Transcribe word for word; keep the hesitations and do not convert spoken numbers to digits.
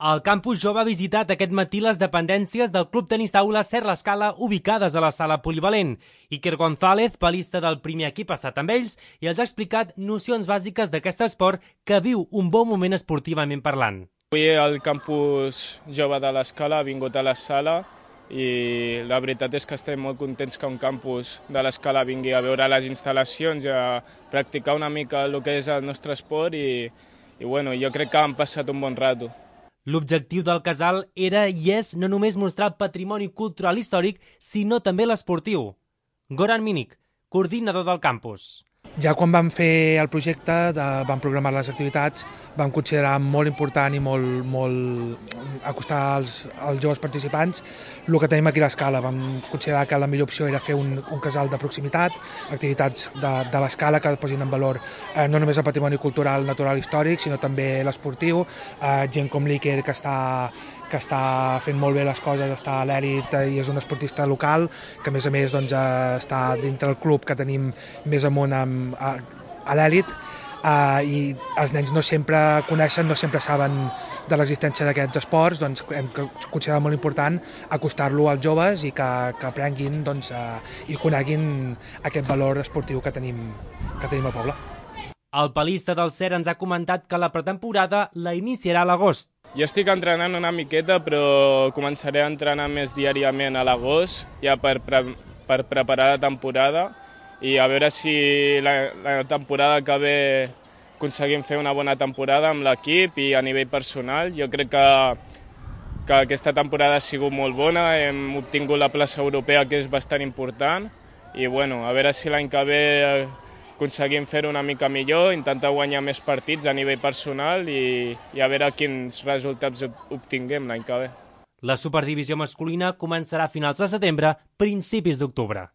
El campus jove ha visitat aquest matí les dependències del Club Tenis Taula Ser l'Escala, ubicades a la sala polivalent. Iker González, palista del primer equip, ha estat amb ells i els ha explicat nocions bàsiques d'aquest esport que viu un bon moment esportivament parlant. Avui el campus jove de l'Escala ha vingut a la sala i la veritat és que estem molt contents que un campus de l'Escala vingui a veure les instal·lacions i a practicar una mica el que és el nostre esport i, i bueno, jo crec que han passat un bon rato. L'objectiu del casal era i és no només mostrar el patrimoni cultural històric, sinó també l'esportiu. Goran Minik, coordinador del campus. Ja quan vam fer el projecte, de, vam programar les activitats, vam considerar molt important i molt, molt acostar als, als joves participants el que tenim aquí a l'Escala. Vam considerar que la millor opció era fer un, un casal de proximitat, activitats de, de l'Escala que posin en valor eh, no només el patrimoni cultural, natural, històric, sinó també l'esportiu, eh, gent com l'Iker que està que està fent molt bé les coses, està a l'èlit i és un esportista local, que a més a més doncs, està dintre del club que tenim més amunt amb, a, a l'èlit, uh, i els nens no sempre coneixen, no sempre saben de l'existència d'aquests esports, doncs hem considerat molt important acostar-lo als joves i que, que aprenguin doncs, uh, i coneguin aquest valor esportiu que tenim, que tenim al poble. El palista del Ser ens ha comentat que la pretemporada la iniciarà a l'agost. Jo estic entrenant una miqueta, però començaré a entrenar més diàriament a l'agost, ja per, pre per preparar la temporada i a veure si la, la temporada que ve aconseguim fer una bona temporada amb l'equip i a nivell personal. Jo crec que, que aquesta temporada ha sigut molt bona, hem obtingut la plaça europea, que és bastant important, i bueno, a veure si l'any que ve aconseguim fer-ho una mica millor, intentar guanyar més partits a nivell personal i, i a veure quins resultats obtinguem l'any que ve. La superdivisió masculina començarà a finals de setembre, principis d'octubre.